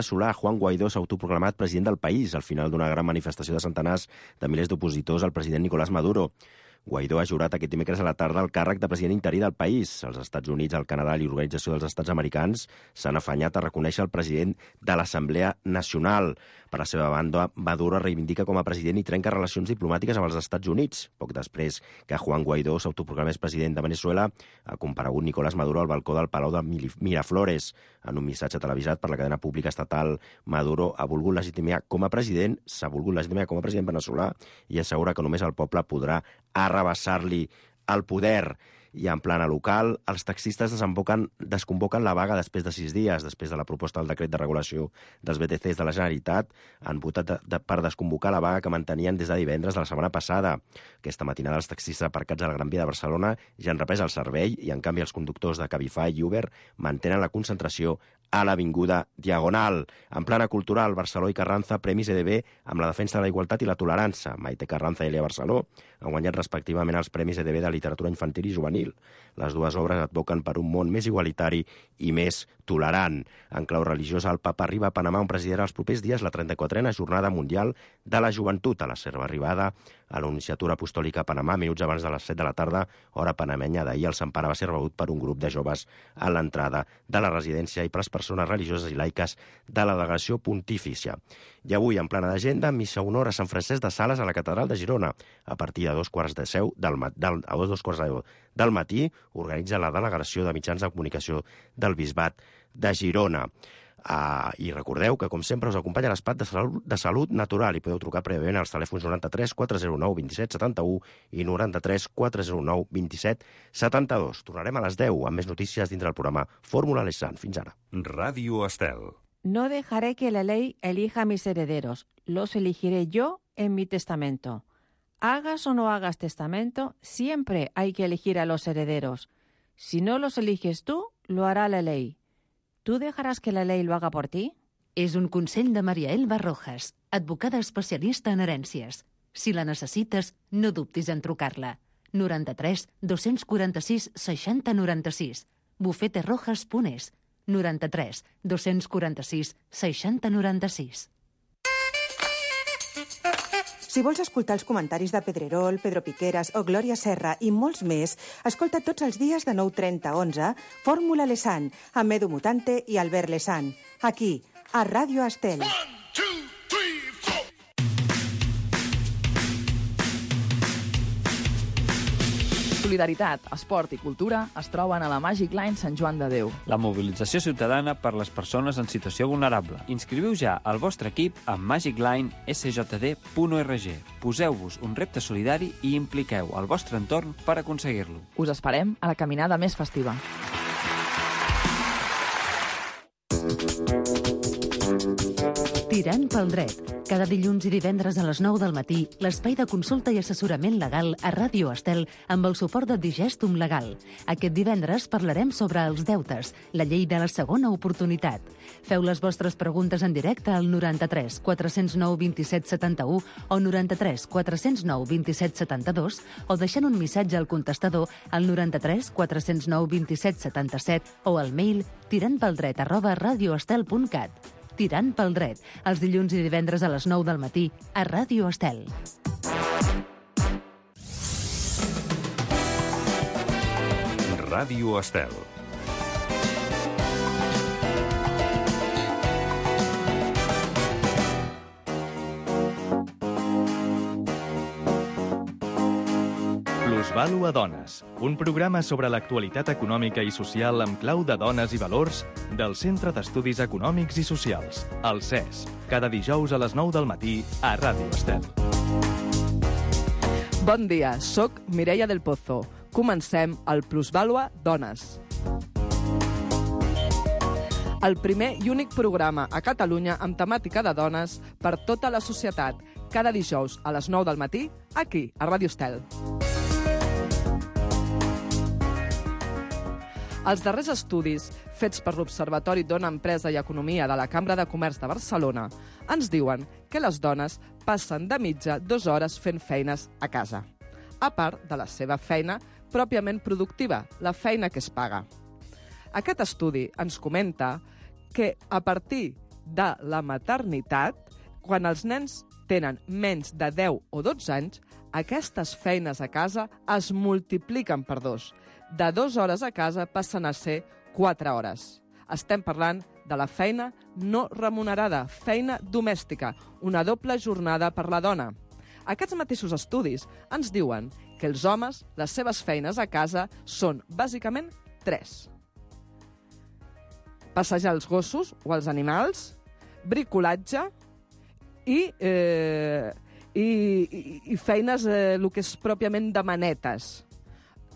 Solà, Juan Guaidó s'ha autoproclamat president del país al final d'una gran manifestació de centenars de milers d'opositors al president Nicolás Maduro. Guaidó ha jurat aquest dimecres a la tarda el càrrec de president interí del país. Els Estats Units, el Canadà i l'Organització dels Estats Americans s'han afanyat a reconèixer el president de l'Assemblea Nacional. Per la seva banda, Maduro reivindica com a president i trenca relacions diplomàtiques amb els Estats Units. Poc després que Juan Guaidó s'autoproclamés president de Venezuela, ha comparegut Nicolás Maduro al balcó del Palau de Miraflores. En un missatge televisat per la cadena pública estatal, Maduro s'ha volgut legitimar com a president veneçolà i assegura que només el poble podrà arrabassar-li el poder. I en plana local, els taxistes desconvoquen la vaga després de 6 dies. Després de la proposta del decret de regulació dels BTCs de la Generalitat, han votat per desconvocar la vaga que mantenien des de divendres de la setmana passada. Aquesta matinada els taxistes aparcats a la Gran Via de Barcelona ja han reprès el servei i, en canvi, els conductors de Cabify i Uber mantenen la concentració a l'Avinguda Diagonal. En plana cultural, Barceló i Carranza, Premis EDB amb la defensa de la igualtat i la tolerància. Maite Carranza i Elia Barceló han guanyat respectivament els Premis EDB de literatura infantil i juvenil. Les dues obres advoquen per un món més igualitari i més tolerant. En clau religiosa, el papa arriba a Panamà on presidirà els propers dies la 34a Jornada Mundial de la Joventut. A la seva arribada a la Nunciatura Apostòlica a Panamà, minuts abans de les 7 de la tarda, hora panamenya d'ahir, el Sant Pare va ser rebut per un grup de joves a l'entrada de la residència i per les persones religioses i laiques de la delegació pontifícia. I avui, en plana d'agenda, missa honor a Sant Francesc de Sales a la Catedral de Girona. A partir de 2:15 del matí, organitza la Delegació de Mitjans de Comunicació del Bisbat de Girona. I recordeu que, com sempre, us acompanya l'Espat de Salut Natural i podeu trucar prèviament als telèfons 93 409 27 71 i 93 409 27 72. Tornarem a les 10 amb més notícies dintre del programa Fórmula Lesan. Fins ara. Ràdio Estel. No dejaré que la ley elija a mis herederos. Los elegiré yo en mi testamento. Hagas o no hagas testamento, siempre hay que elegir a los herederos. Si no los eliges tú, lo hará la ley. ¿Tú dejarás que la ley lo haga por ti? És un consell de Maria Elba Rojas, advocada especialista en herències. Si la necessites, no dubtis en trucar-la. 93 246 60 96. bufeterojas.es. 93 246 60 96. Si vols escoltar els comentaris de Pedrerol, Pedro Piqueras o Glòria Serra i molts més, escolta tots els dies de 9:30 a 11 Fórmula Lesan, amb Edu Mutante i Albert Lesan. Aquí, a Ràdio Estel. Solidaritat, esport i cultura es troben a la Magic Line Sant Joan de Déu. La mobilització ciutadana per les persones en situació vulnerable. Inscriviu ja el vostre equip a magiclinesjd.org. Poseu-vos un repte solidari i impliqueu el vostre entorn per aconseguir-lo. Us esperem a la caminada més festiva. Tirant pel dret. Cada dilluns i divendres a les 9 del matí, l'espai de consulta i assessorament legal a Ràdio Estel amb el suport de Digestum Legal. Aquest divendres parlarem sobre els deutes, la llei de la segona oportunitat. Feu les vostres preguntes en directe al 93 409 27 71 o 93 409 27 72 o deixant un missatge al contestador al 93 409 27 77 o al mail tirantpeldret@radioestel.cat. Tirant pel dret, els dilluns i divendres a les 9 del matí, a Ràdio Estel. Ràdio Estel. Plusvàlua Dones, un programa sobre l'actualitat econòmica i social amb clau de dones i valors del Centre d'Estudis Econòmics i Socials, el CES, cada dijous a les 9 del matí a Ràdio Estel. Bon dia, soc Mireia del Pozo. Comencem el Plusvàlua Dones. El primer i únic programa a Catalunya amb temàtica de dones per tota la societat, cada dijous a les 9 del matí, aquí, a Ràdio Estel. Els darrers estudis, fets per l'Observatori Dona, Empresa i Economia de la Cambra de Comerç de Barcelona, ens diuen que les dones passen de mitja 2 hores fent feines a casa, a part de la seva feina pròpiament productiva, la feina que es paga. Aquest estudi ens comenta que a partir de la maternitat, quan els nens tenen menys de 10 o 12 anys, aquestes feines a casa es multipliquen per 2. De 2 hores a casa passen a ser 4 hores. Estem parlant de la feina no remunerada, feina domèstica, una doble jornada per la dona. Aquests mateixos estudis ens diuen que els homes, les seves feines a casa són bàsicament 3. Passejar els gossos o els animals, bricolatge i feines, el que és pròpiament de manetes.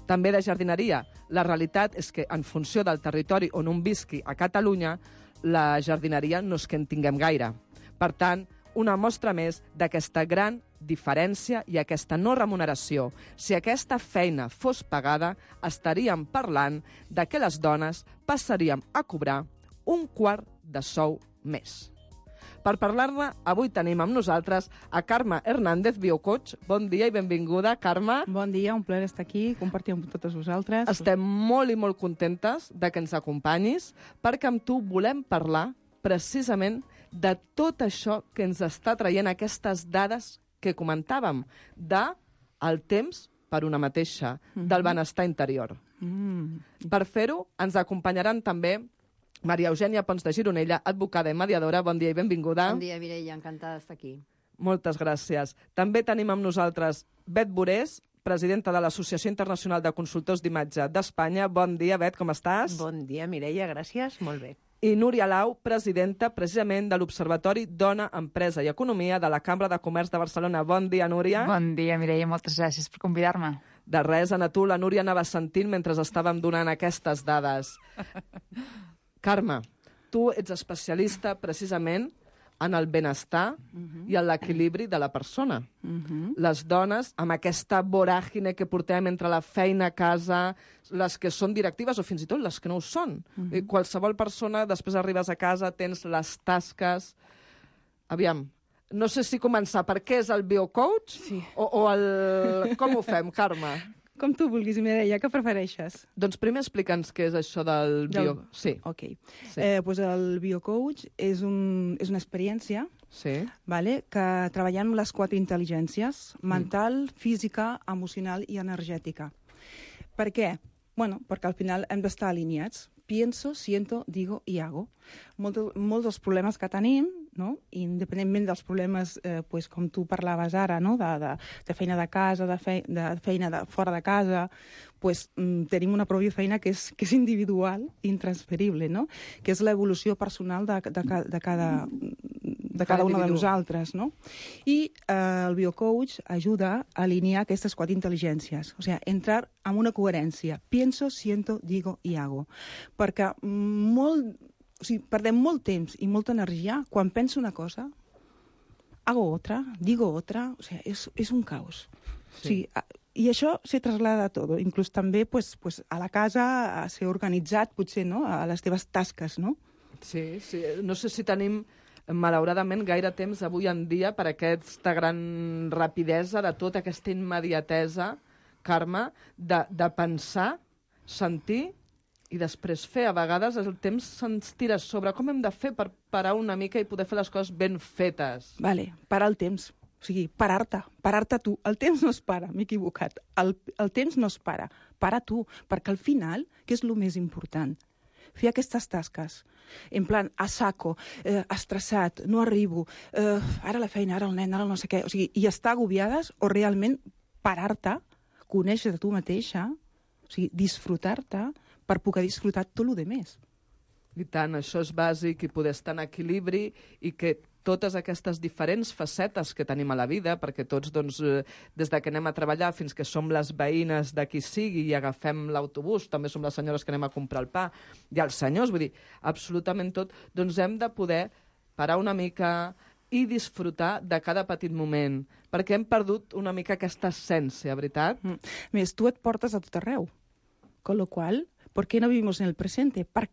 També de jardineria. La realitat és que, en funció del territori on un visqui a Catalunya, la jardineria no és que en tinguem gaire. Per tant, una mostra més d'aquesta gran diferència i aquesta no remuneració. Si aquesta feina fos pagada, estaríem parlant de que les dones passaríem a cobrar un quart de sou més. Per parlar-ne, avui tenim amb nosaltres a Carme Hernández, biocoach. Bon dia i benvinguda, Carme. Bon dia, un plaer estar aquí, compartir amb totes vosaltres. Estem molt i molt contentes de que ens acompanyis, perquè amb tu volem parlar precisament de tot això que ens està traient aquestes dades que comentàvem, del temps per una mateixa, del benestar interior. Per fer-ho, ens acompanyaran també Maria Eugènia Pons de Gironella, advocada i mediadora. Bon dia i benvinguda. Bon dia, Mireia, encantada d'estar aquí. Moltes gràcies. També tenim amb nosaltres Bet Borés, presidenta de l'Associació Internacional de Consultors d'Imatge d'Espanya. Bon dia, Bet, com estàs? Bon dia, Mireia, gràcies, molt bé. I Núria Lau, presidenta precisament de l'Observatori Dona, Empresa i Economia de la Cambra de Comerç de Barcelona. Bon dia, Núria. Bon dia, Mireia, moltes gràcies per convidar-me. De res, a tu, la Núria anava sentint mentre estàvem donant aquestes dades. Carme, tu ets especialista precisament en el benestar i en l'equilibri de la persona. Les dones, amb aquesta voràgine que portem entre la feina a casa, les que són directives o fins i tot les que no ho són. Qualsevol persona, després arribes a casa, tens les tasques... Aviam, no sé si començar per què és el biocoach o el... Com ho fem, Carme? Com tu vulguis, Mireia, què prefereixes? Doncs primer explica'ns què és això del bio... Sí. Ok. Pues el biocoach és una experiència que treballem les 4 intel·ligències, mental, física, emocional i energètica. Per què? Bueno, perquè al final hem d'estar alineats. Pienso, siento, digo y hago. Molts dels problemes que tenim, no? Independentment dels problemes, com tu parlaves ara, no? de feina de casa, de feina de fora de casa, tenim una pròpia feina que és individual, intransferible, no? Que és l'evolució personal de cada una de nosaltres. No? I el biocoach ajuda a alinear aquestes 4 intel·ligències, o sigui, entrar en una coherència. Pienso, siento, digo y hago. Perquè perdem molt temps i molta energia quan penso una cosa, hago otra, digo otra, o sigui, és un caos. Sí. O sigui, i això se traslada a tot, inclús també a la casa, a ser organitzat, potser, no? A les teves tasques, no? Sí. No sé si tenim, malauradament, gaire temps avui en dia per aquesta gran rapidesa, de tota aquesta immediatesa, Carme, de pensar, sentir i després fer. A vegades el temps se'ns tira sobre. Com hem de fer per parar una mica i poder fer les coses ben fetes? Vale, parar el temps. O sigui, parar-te tu. El temps no es para, m'he equivocat. El temps no es para. Para tu, perquè al final, què és el més important? Fer aquestes tasques. En plan, a saco, estressat, no arribo, ara la feina, ara el nen, ara el no sé què. O sigui, i estar agobiades o realment parar-te, conèixer tu mateixa, o sigui, disfrutar-te, per poder disfrutar tot el més. I tant, això és bàsic, i poder estar en equilibri, i que totes aquestes diferents facetes que tenim a la vida, perquè tots, doncs, des de que anem a treballar fins que som les veïnes de qui sigui i agafem l'autobús, també som les senyores que anem a comprar el pa, i els senyors, vull dir, absolutament tot, doncs hem de poder parar una mica i disfrutar de cada petit moment, perquè hem perdut una mica aquesta essència, veritat? Més, tu et portes a tot arreu, con lo cual, ¿por qué no vivimos en el presente? ¿Por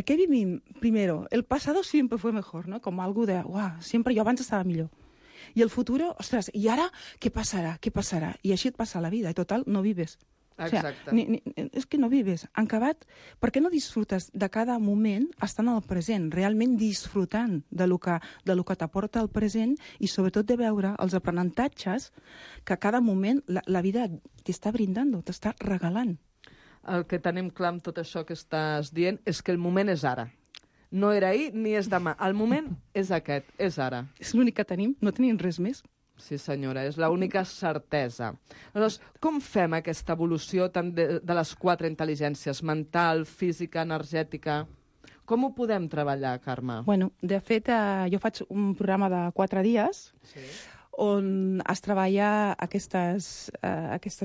qué vivim? Primero, el pasado siempre fue mejor, ¿no? Como algo de, siempre jo abans estava millor. I el futuro, ostres, i ara què passarà? Què passarà? I així et passa la vida, i total, no vives. Exacte. O sigui, és que no vives. En acabat, per què no disfrutes de cada moment estant al present, realment disfrutant de lo que t'aporta el present i sobretot de veure els aprenentatges que a cada moment la vida t'està brindant, t'està regalant. El que tenim clar amb tot això que estàs dient és que el moment és ara. No era ahir ni és demà. El moment és aquest, és ara. És l'únic que tenim, no tenim res més. Sí, senyora, és l'única certesa. Llavors, com fem aquesta evolució tant de les 4 intel·ligències, mental, física, energètica? Com ho podem treballar, Carme? Bueno, de fet, jo faig un programa de 4 dies on es treballa aquestes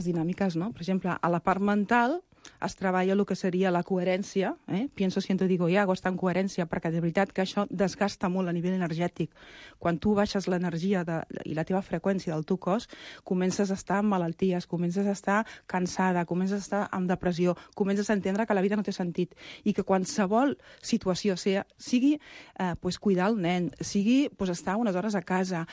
dinàmiques, no? Per exemple, a la part mental es treballa el que seria la coherència, pienso, siento, digo y hago, està en coherència, perquè de veritat que això desgasta molt a nivell energètic. Quan tu baixes l'energia i la teva freqüència del teu cos, comences a estar amb malalties, comences a estar cansada, comences a estar amb depressió, comences a entendre que la vida no té sentit i que qualsevol situació, sigui cuidar el nen, sigui estar unes hores a casa,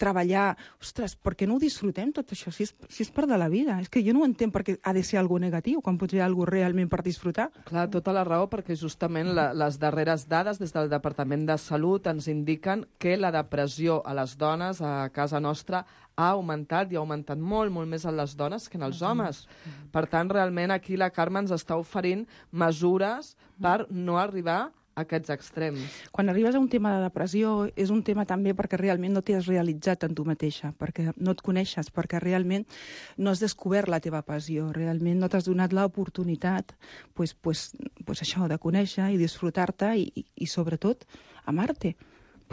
treballar, ostres, per què no ho disfrutem tot això? Si és part de la vida, és que jo no ho entenc perquè ha de ser alguna negatiu, quan pot ser alguna cosa realment per disfrutar. Clar, tota la raó, perquè justament les darreres dades des del Departament de Salut ens indiquen que la depressió a les dones a casa nostra ha augmentat i ha augmentat molt, molt més en les dones que en els homes. Per tant, realment aquí la Carme ens està oferint mesures per no arribar a aquests extrems. Quan arribes a un tema de depressió és un tema també perquè realment no t'has realitzat en tu mateixa, perquè no et coneixes, perquè realment no has descobert la teva passió, realment no t'has donat l'oportunitat això, de conèixer i disfrutar-te i sobretot amar-te,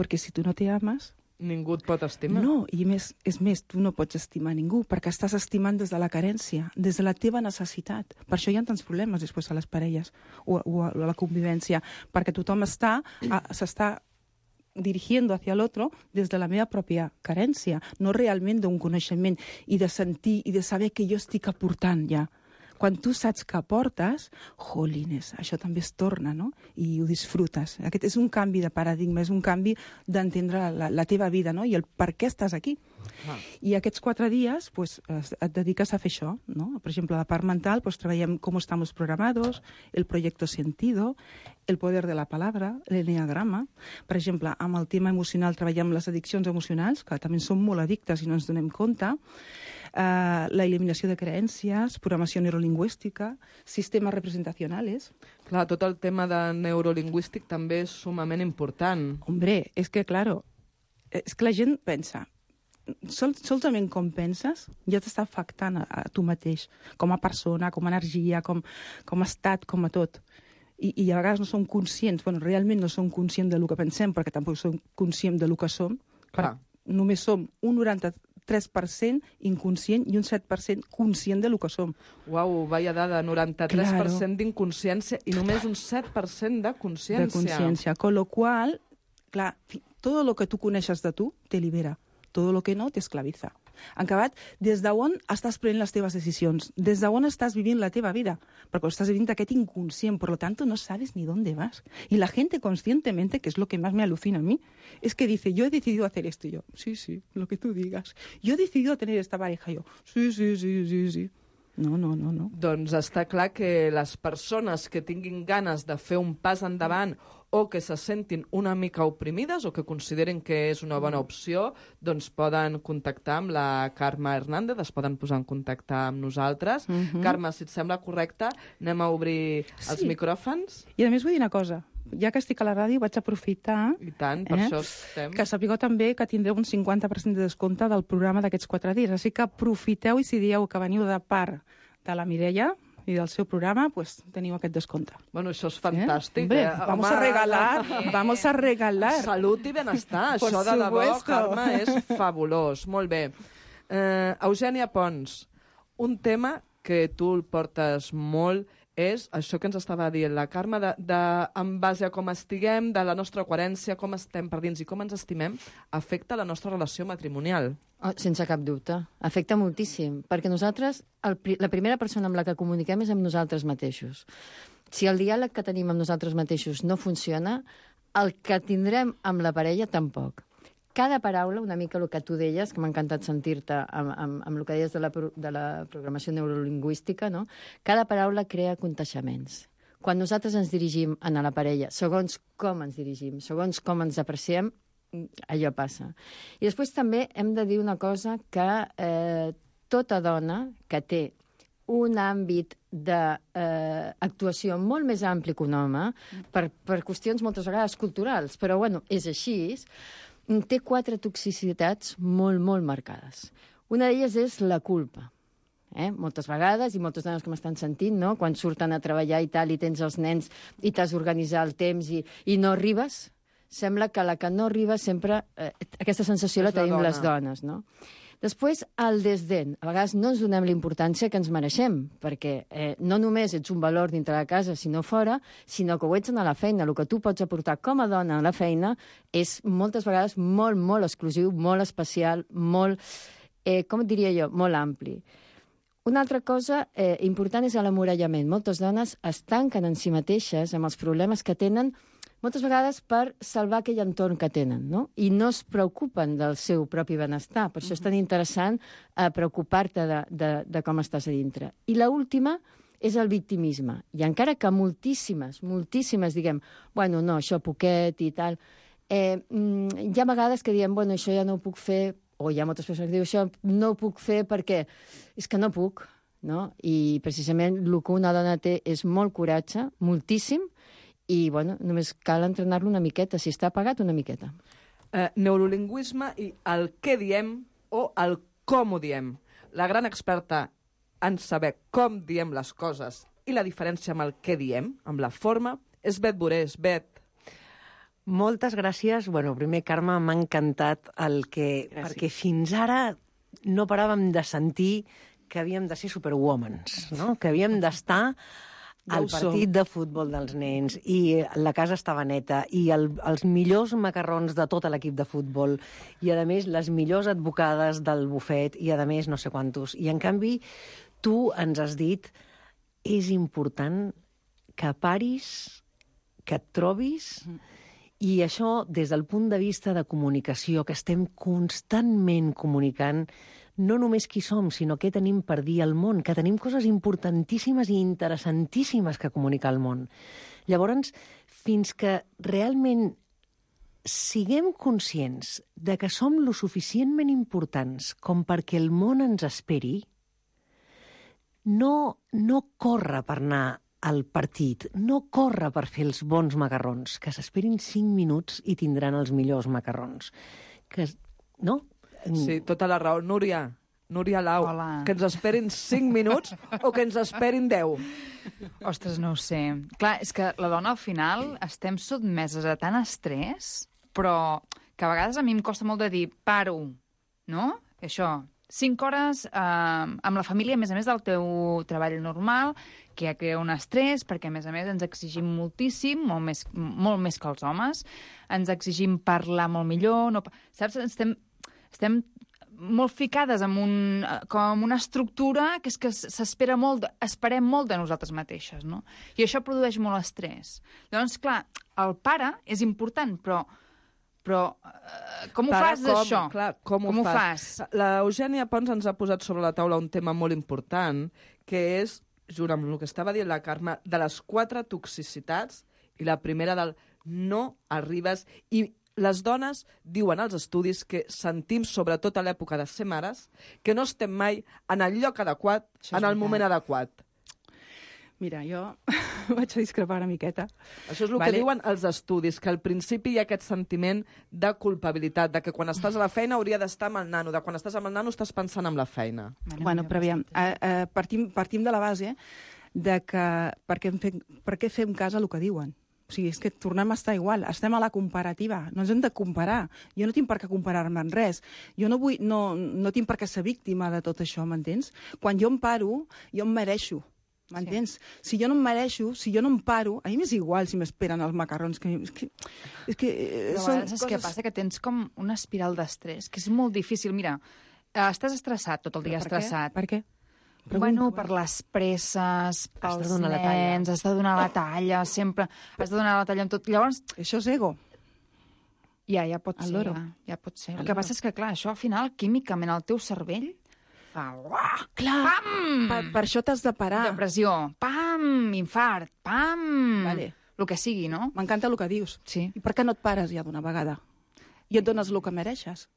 perquè si tu no t'ames ningú et pot estimar. No, i és més, tu no pots estimar ningú, perquè estàs estimant des de la carència, des de la teva necessitat. Per això hi ha tants problemes després a les parelles o a la convivència, perquè tothom s'està dirigiendo hacia el otro des de la meva pròpia carència, no realment d'un coneixement i de sentir i de saber que jo estic aportant ja. Quan tu saps que aportes, jolines, això també es torna, no? I ho disfrutes. Aquest és un canvi de paradigma, és un canvi d'entendre la teva vida, no? I el per què estàs aquí. I aquests 4 dies et dediques a fer això, no? Per exemple, a la part mental treballem com estamos programados, el proyecto sentido, el poder de la palabra, l'enneagrama. Per exemple, amb el tema emocional treballem les addiccions emocionals, que també som molt addictes i no ens donem compte, la eliminació de creences, programació neurolingüística, sistemes representacionals. Clar, tot el tema de neurolingüístic també és sumament important. Hombre, és que, claro, és que la gent pensa, solament com penses ja t'està afectant a tu mateix, com a persona, com a energia, com a estat, com a tot. I a vegades no som conscients, realment no som conscients del que pensem, perquè tampoc som conscients del que som. Només som un 93% inconscient i un 7% conscient del que som. Uau, vaya dada, 93% d'inconsciència i només un 7% de consciència. De consciència, con lo cual, clar, todo lo que tu coneixes de tu te libera, todo lo que no te esclaviza. En acabat, des d'on estàs prenent les teves decisions, des d'on estàs vivint la teva vida, perquè estàs vivint aquest inconscient, por lo tanto no sabes ni dónde vas. Y la gente conscientemente, que es lo que más me alucina a mí, es que dice, yo he decidido hacer esto, y yo, sí, lo que tú digas. Yo he decidido tener esta pareja, yo, sí. No. Doncs està clar que les persones que tinguin ganes de fer un pas endavant o que se sentin una mica oprimides o que consideren que és una bona opció, doncs poden contactar amb la Carme Hernández, es poden posar en contacte amb nosaltres. Carme, si et sembla correcte, anem a obrir els micròfons. I a més vull dir una cosa, ja que estic a la ràdio vaig aprofitar I tant, per això estem. Que sapigueu també que tindreu un 50% de descompte del programa d'aquests 4 dies, així que aprofiteu i si dieu que veniu de part de la Mireia i del seu programa, teniu aquest descompte. Bueno, això és fantàstic. Hombre, vamos a regalar. Salut i benestar, això de debò, Carme, és fabulós. Molt bé. Eugènia Pons, un tema que tu el portes molt és això que ens estava dient la Carme, en base a com estiguem, de la nostra coherència, com estem per dins i com ens estimem, afecta la nostra relació matrimonial. Sense cap dubte. Afecta moltíssim, perquè nosaltres, la primera persona amb la que comuniquem és amb nosaltres mateixos. Si el diàleg que tenim amb nosaltres mateixos no funciona, el que tindrem amb la parella tampoc. cada paraula, una mica el que tu deies, que m'ha encantat sentir-te amb el que deies de la programació neurolingüística, no? Cada paraula crea conteixements. Quan nosaltres ens dirigim a la parella, segons com ens dirigim, segons com ens apreciem, allò passa. I després també hem de dir una cosa, que tota dona que té un àmbit d'actuació molt més ampli que un home, per qüestions moltes vegades culturals, però bueno, és així, té 4 toxicitats molt, molt marcades. Una d'elles és la culpa. Moltes vegades, i moltes dones que m'estan sentint, no? Quan surten a treballar i tal, i tens els nens, i t'has d'organitzar el temps, i no arribes, sembla que la que no arriba sempre... aquesta sensació la tenim les dones, no? Després, el desdent. A vegades no ens donem la importància que ens mereixem, perquè no només ets un valor dintre de casa, sinó fora, sinó que ho ets a la feina. El que tu pots aportar com a dona a la feina és moltes vegades molt, molt exclusiu, molt especial, molt, com et diria jo, molt ampli. Una altra cosa important és l'emmurallament. Moltes dones es tanquen en si mateixes amb els problemes que tenen, moltes vegades per salvar aquell entorn que tenen, no? I no es preocupen del seu propi benestar. Per això és tan interessant preocupar-te de com estàs a dintre. I l'última és el victimisme. I encara que moltíssimes diguem, bueno, no, això poquet i tal, hi ha vegades que diem, bueno, això ja no ho puc fer, o hi ha moltes persones que diuen, això no ho puc fer perquè és que no puc, no? I precisament el que una dona té és molt coratge, moltíssim, i, bueno, només cal entrenar-lo una miqueta, si està apagat, una miqueta. Neurolingüisme i el què diem o el com ho diem. La gran experta en saber com diem les coses i la diferència amb el què diem, amb la forma, és Bet Borés. Bet. Moltes gràcies. Bueno, primer, Carme, m'ha encantat perquè fins ara no paràvem de sentir que havíem de ser superwomans, no? Que havíem d'estar al partit de futbol dels nens, i la casa estava neta, i els millors macarrons de tot l'equip de futbol, i a més les millors advocades del bufet, i a més no sé quantos. I en canvi tu ens has dit, és important que paris, que et trobis, i això des del punt de vista de comunicació, que estem constantment comunicant no només qui som, sinó què tenim per dir al món, que tenim coses importantíssimes i interessantíssimes que comunicar al món. Llavors, fins que realment siguem conscients de que som lo suficientment importants com perquè el món ens esperi, no corre per anar al partit, no corre per fer els bons macarrons, que s'esperin 5 minuts i tindran els millors macarrons. No? Sí, tota la raó. Núria Lau, hola. Que ens esperin 5 minuts o que ens esperin 10? Ostres, no ho sé. Clar, és que la dona al final estem sotmeses a tant estrès, però que a vegades a mi em costa molt de dir paro, no? Això, 5 hores amb la família, a més del teu treball normal, que ja crea un estrès, perquè a més ens exigim moltíssim, molt més que els homes, ens exigim parlar molt millor, no, saps? Estem molt ficades com una estructura que és que s'espera molt, esperem molt de nosaltres mateixes, no? I això produeix molt estrès. Llavors, clar, el pare és important, però com ho fas, això? Clar, com ho fas? L'Eugènia Pons ens ha posat sobre la taula un tema molt important, que és, junt amb el que estava dient la Carme, de les 4 toxicitats, i la primera del no arribes, i les dones diuen als estudis que sentim, sobretot a l'època de ser mares, que no estem mai en el lloc adequat, en el moment adequat. Mira, jo vaig a discrepar una miqueta. Això és el que diuen els estudis, que al principi hi ha aquest sentiment de culpabilitat, de que quan estàs a la feina hauria d'estar amb el nano, de quan estàs amb el nano estàs pensant en la feina. Bueno, però aviam, partim de la base de que per què fem cas a el que diuen. O sigui, és que tornem a estar igual, estem a la comparativa, no ens hem de comparar. Jo no tinc per què comparar-me en res. Jo no tinc per què ser víctima de tot això, m'entens? Quan jo em paro, jo em mereixo, m'entens? Sí. Si jo no em mereixo, si jo no em paro, a mi m'és igual si m'esperen els macarrons. Saps què passa? Que tens com una espiral d'estrès, que és molt difícil. Mira, estàs estressat, tot el dia estressat. Per què? Bueno, per les presses, pels nens, has de donar la talla, sempre has de donar la talla amb tot. Llavors, això és ego. Ja pot ser. Ja pot ser. El que passa és que, clar, això al final, químicament, el teu cervell fa... Clar, per això t'has de parar. Depressió, pam, infart, pam... Vale. El que sigui, no? M'encanta el que dius. Sí. I per què no et pares ja d'una vegada? I et dones el que mereixes?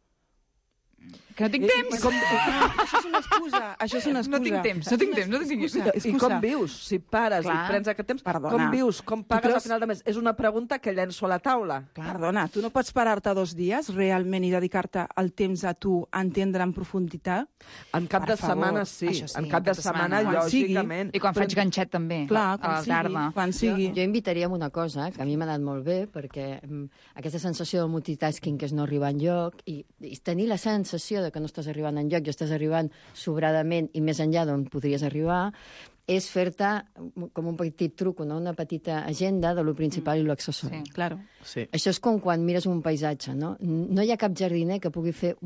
Que no tinc temps! Això és una excusa. No tinc temps. I com vius? Si pares i prens aquest temps, com vius? Com pagues al final de mes? És una pregunta que llenço a la taula. Perdona, tu no pots parar-te 2 dies realment i dedicar-te el temps a tu a entendre en profunditat? En cap de setmana, sí. En cap de setmana, lògicament. I quan faig ganxet, també. Clar, a la tarda. Quan sigui. Jo invitaria a una cosa, que a mi m'ha anat molt bé, perquè aquesta sensació de multitasking que és no arribar enlloc, i tenir la sensació de que no estàs arribant enlloc i estàs arribant sobradament i més enllà d'on podries arribar, és fer-te com un petit truc, una petita agenda de lo principal i lo accessori. Sí, claro. Sí. Això és com quan mires un paisatge, no? No hi ha cap jardiner que pugui fer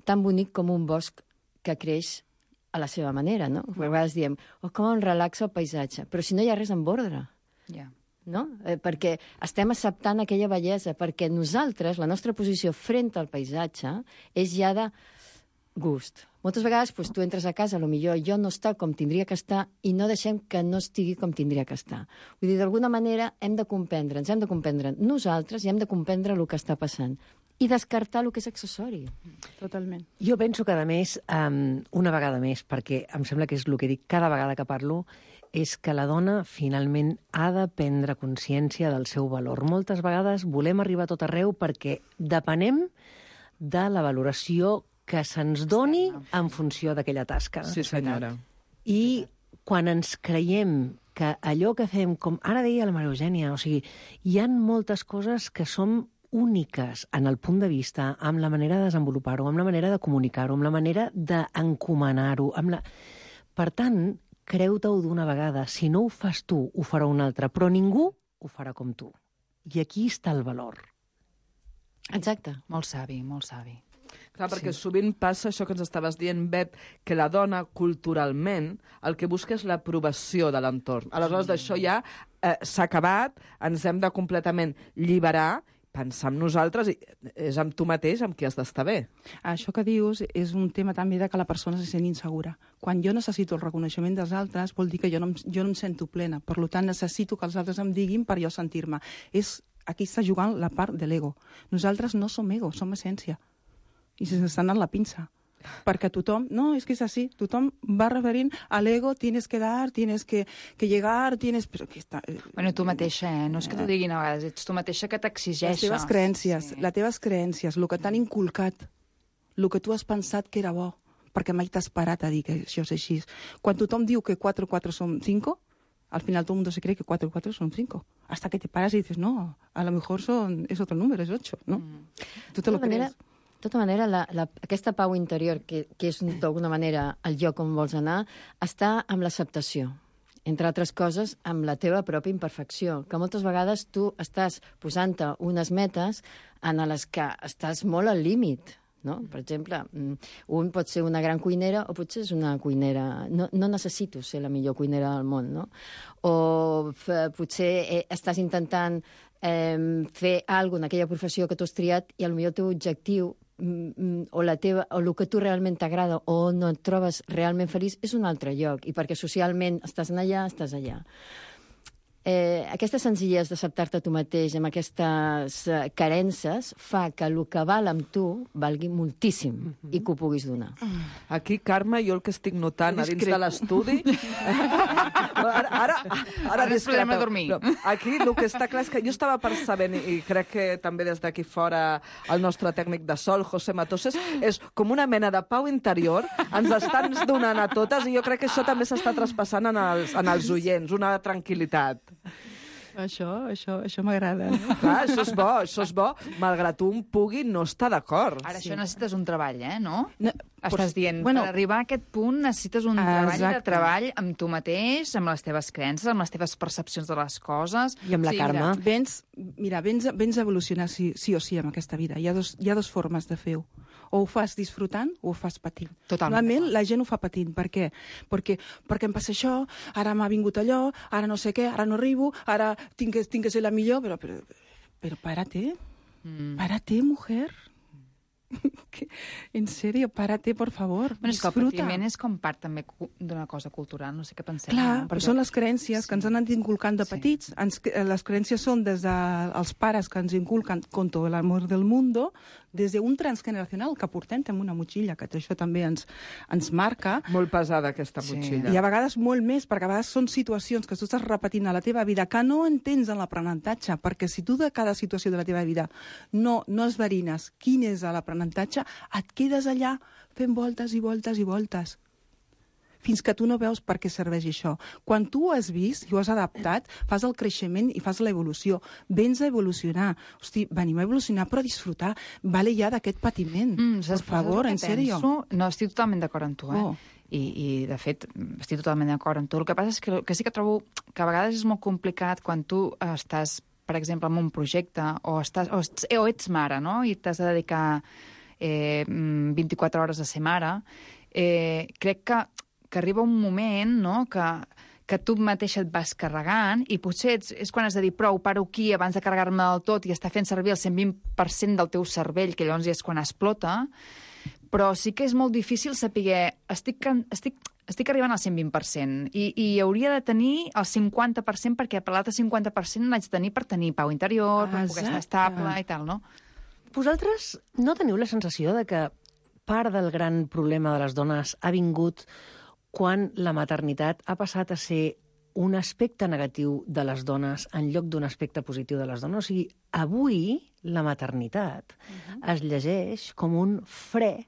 tan bonic com un bosc que creix a la seva manera, no? A vegades diem, com em relaxa el paisatge, però si no hi ha res en ordre. Ja. No? Perquè estem acceptant aquella bellesa, perquè nosaltres, la nostra posició frente al paisatge és ja de gust. Moltes vegades tu entres a casa, potser allò no està com tindria que estar i no deixem que no estigui com tindria que estar. Vull dir, d'alguna manera hem de comprendre nosaltres i hem de comprendre el que està passant i descartar el que és accessori. Totalment. Jo penso que, a més, una vegada més, perquè em sembla que és el que dic cada vegada que parlo, és que la dona finalment ha de prendre consciència del seu valor. Moltes vegades volem arribar a tot arreu perquè depenem de la valoració que se'ns doni en funció d'aquella tasca. Sí, senyora. I quan ens creiem que allò que fem, com ara deia la Maria Eugènia, o sigui, hi ha moltes coses que som úniques en el punt de vista, amb la manera de desenvolupar-ho, amb la manera de comunicar-ho, amb la manera d'encomanar-ho. Per tant, creu-te-ho d'una vegada. Si no ho fas tu, ho farà un altre, però ningú ho farà com tu. I aquí està el valor. Exacte. Molt savi, molt savi. Clar, perquè sovint passa això que ens estaves dient, Bet, que la dona, culturalment, el que busca és l'aprovació de l'entorn. Aleshores, d'això ja s'ha acabat, ens hem de completament lliberar, pensar en nosaltres, és amb tu mateix amb qui has d'estar bé. Això que dius és un tema també de que la persona se sent insegura. Quan jo necessito el reconeixement dels altres, vol dir que jo no em sento plena. Per tant, necessito que els altres em diguin per jo sentir-me. Aquí està jugant la part de l'ego. Nosaltres no som ego, som essència. I se'ns està anant la pinça. Perquè tothom, no, és que és així, tothom va referint a l'ego, tienes que dar, tienes que llegar, tienes... Però que està... Bueno, tu mateixa, no és que t'ho diguin a vegades, ets tu mateixa que t'exigeixes. Les teves creences, el que t'han inculcat, el que tu has pensat que era bo, perquè mai t'has parat a dir que això és així. Quan tothom diu que 4 y 4 son 5, al final todo el mundo se cree que 4 y 4 son 5. Hasta que te paras y dices, no, a lo mejor es otro número, es 8, ¿no? Tu te lo crees. De tota manera, aquesta pau interior, que és d'alguna manera el lloc on vols anar, està amb l'acceptació. Entre altres coses, amb la teva pròpia imperfecció, que moltes vegades tu estàs posant-te unes metes en les que estàs molt al límit. No? Per exemple, un pot ser una gran cuinera o potser és una cuinera... No necessito ser la millor cuinera del món, no? O potser estàs intentant fer alguna cosa en aquella professió que tu has triat i potser el teu objectiu o el que tu realment t'agrada o no et trobes realment feliç és un altre lloc, i perquè socialment estàs allà, estàs allà. Aquesta senzillesa d'acceptar-te tu mateix amb aquestes carences fa que el que val amb tu valgui moltíssim i que ho puguis donar. Aquí, Carme, jo el que estic notant a dins de l'estudi... Ara podem dormir. Aquí el que està clar és que jo estava percebent, i crec que també des d'aquí fora el nostre tècnic de sol, José Matoses, és com una mena de pau interior, ens estan donant a totes, i jo crec que això també s'està traspassant en els oients, una tranquil·litat. Això m'agrada. Clar, això és bo, malgrat un pugui no estar d'acord. Ara, això necessites un treball, no? Estàs dient, per arribar a aquest punt necessites un treball amb tu mateix, amb les teves creences, amb les teves percepcions de les coses. I amb la Carme. Vens a evolucionar sí o sí en aquesta vida. Hi ha dos formes de fer-ho. O ho fas disfrutant o ho fas patint. Normalment la gent ho fa patint. Per què? Perquè em passa això, ara m'ha vingut allò, ara no sé què, ara no arribo, ara tinc que ser la millor, però párate. Párate, mujer. En serio, párate, por favor. Bueno, és que el patiment és com part també d'una cosa cultural, no sé què penseu. Clar, però són les creences que ens han anat inculcant de petits. Les creences són des dels pares que ens inculquen contra l'amor del mundo, des d'un transgeneracional que portem amb una motxilla, que això també ens marca. Molt pesada, aquesta motxilla. I a vegades molt més, perquè a vegades són situacions que tu estàs repetint a la teva vida que no entens en l'aprenentatge, perquè si tu de cada situació de la teva vida no esverines quin és l'aprenentatge, et quedes allà fent voltes i voltes i voltes, fins que tu no veus per què serveix això. Quan tu ho has vist i ho has adaptat, fas el creixement i fas l'evolució. Vens a evolucionar. Hosti, venim a evolucionar, però a disfrutar. Vale ja d'aquest patiment. Per favor, en sèrio. No, estic totalment d'acord amb tu, I, de fet, estic totalment d'acord amb tu. El que passa és que sí que trobo que a vegades és molt complicat quan tu estàs, per exemple, en un projecte o ets mare, no?, i t'has de dedicar 24 hores a ser mare. Crec que arriba un moment, no?, que tu mateixa et vas carregant i potser és quan has de dir prou, paro aquí abans de carregar-me del tot i estar fent servir el 120% del teu cervell, que llavors ja és quan explota, però sí que és molt difícil saber estic arribant al 120% i hauria de tenir el 50% perquè per l'altre 50% l'haig de tenir per tenir pau interior, per poder estar estable i tal, no? Vosaltres no teniu la sensació de que part del gran problema de les dones ha vingut quan la maternitat ha passat a ser un aspecte negatiu de les dones en lloc d'un aspecte positiu de les dones? O sigui, avui la maternitat es llegeix com un fre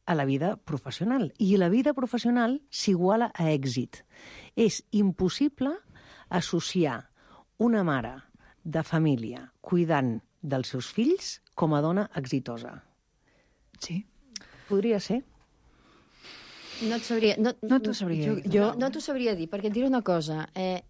a la vida professional. I la vida professional s'iguala a èxit. És impossible associar una mare de família cuidant dels seus fills com a dona exitosa. Sí. Podria ser. No t'ho sabria dir. No t'ho sabria dir, perquè et diré una cosa.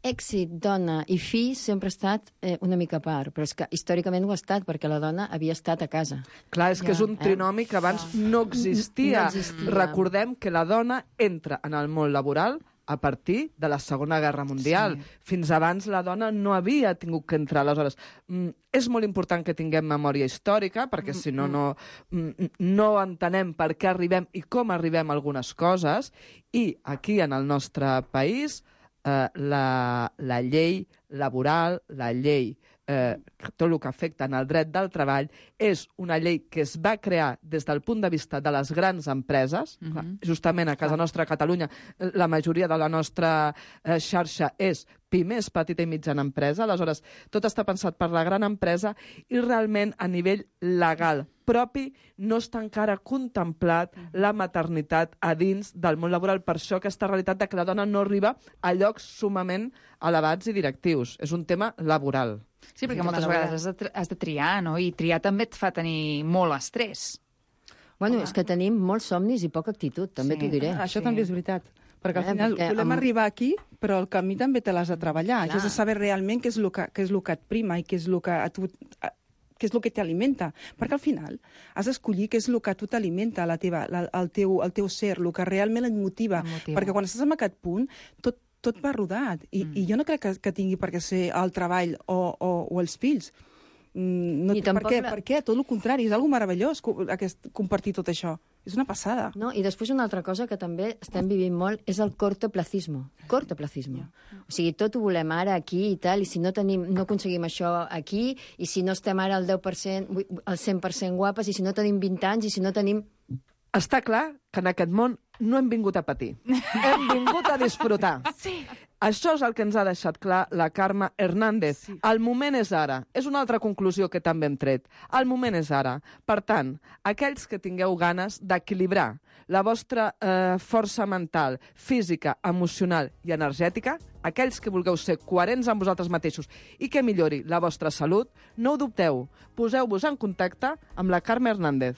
Èxit, dona i fill sempre ha estat una mica a part, però és que històricament ho ha estat, perquè la dona havia estat a casa. Clar, és que és un trinomi que abans no existia. Recordem que la dona entra en el món laboral a partir de la Segona Guerra Mundial. Fins abans la dona no havia tingut que entrar. Aleshores, és molt important que tinguem memòria històrica, perquè si no, no entenem per què arribem i com arribem a algunes coses. I aquí, en el nostre país, la llei laboral, la llei tot el que afecta en el dret del treball, és una llei que es va crear des del punt de vista de les grans empreses. Justament a casa nostra, a Catalunya, la majoria de la nostra xarxa és pimes, petita i mitjana empresa. Aleshores, tot està pensat per la gran empresa i realment a nivell legal propi no està encara contemplat la maternitat a dins del món laboral. Per això aquesta realitat de que la dona no arriba a llocs sumament elevats i directius. És un tema laboral. Sí, perquè moltes vegades has de triar, no? I triar també et fa tenir molt estrès. Bueno, és que tenim molts somnis i poca actitud, també t'ho diré. Això també és veritat. Perquè al final volem arribar aquí, però el camí també te l'has de treballar. Has de saber realment què és el que et prima i què és el que t'alimenta. Perquè al final has d'escollir què és el que a tu t'alimenta, el teu ser, el que realment et motiva. Perquè quan estàs en aquest punt, tot va rodat. I jo no crec que tingui per què ser el treball o els fills. No, per què? Tot el contrari, és algo meravellós compartir tot això. És una passada. No, i després una altra cosa que també estem vivint molt és el cortoplacismo. Cortoplacismo. O sigui, tot ho volem ara, aquí i tal, i si no aconseguim això aquí, i si no estem ara al 10%, al 100% guapes, i si no tenim 20 anys, i si no tenim... Està clar que en aquest món no hem vingut a patir. Hem vingut a disfrutar. Sí. Això és el que ens ha deixat clar la Carme Hernández. Sí. El moment és ara. És una altra conclusió que també hem tret. El moment és ara. Per tant, aquells que tingueu ganes d'equilibrar la vostra força mental, física, emocional i energètica, aquells que vulgueu ser coherents amb vosaltres mateixos i que millori la vostra salut, no ho dubteu. Poseu-vos en contacte amb la Carme Hernández.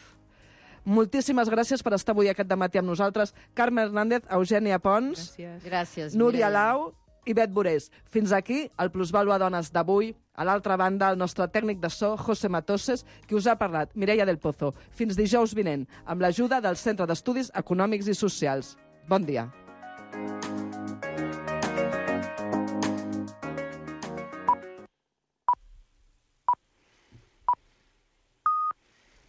Moltíssimes gràcies per estar avui aquest dematí amb nosaltres. Carme Hernández, Eugènia Pons, gràcies, Núria Lau i Bet Borés. Fins aquí el Plusvàlua Dones d'avui. A l'altra banda, el nostre tècnic de so, José Matoses, qui us ha parlat, Mireia del Pozo. Fins dijous vinent, amb l'ajuda del Centre d'Estudis Econòmics i Socials. Bon dia.